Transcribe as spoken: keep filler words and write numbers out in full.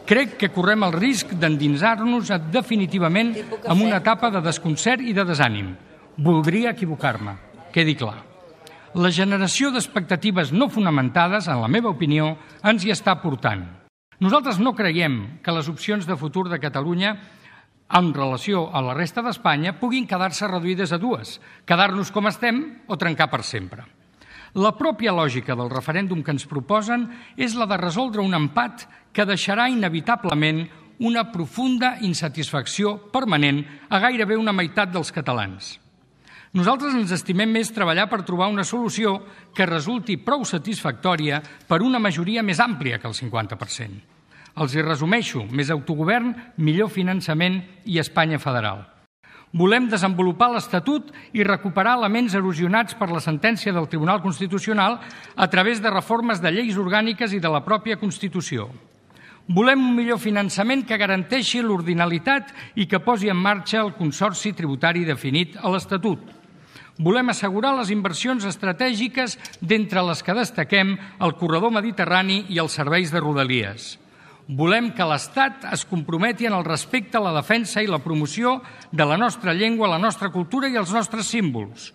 Crec que correm el risc d'endinsar-nos definitivament en una etapa de desconcert i de desànim. Voldria equivocar-me, quedi clar. La generació d'expectatives no fonamentades, en la meva opinió, ens hi està portant. Nosaltres no creiem que les opcions de futur de Catalunya en relació a la resta d'Espanya puguin quedar-se reduïdes a dues, quedar-nos com estem o trencar per sempre. La pròpia lògica del referèndum que ens proposen és la de resoldre un empat que deixarà inevitablement una profunda insatisfacció permanent a gairebé una meitat dels catalans. Nosaltres ens estimem més treballar per trobar una solució que resulti prou satisfactòria per una majoria més àmplia que el cinquanta per cent. Els hi resumeixo: més autogovern, millor finançament i Espanya federal. Volem desenvolupar l'Estatut i recuperar elements erosionats per la sentència del Tribunal Constitucional a través de reformes de lleis orgàniques i de la pròpia Constitució. Volem un millor finançament que garanteixi l'ordinalitat i que posi en marxa el consorci tributari definit a l'Estatut. Volem assegurar les inversions estratègiques, d'entre les que destaquem el corredor mediterrani i els serveis de Rodalies. Volem que l'Estat es comprometi en el respecte a la defensa i la promoció de la nostra llengua, la nostra cultura i els nostres símbols.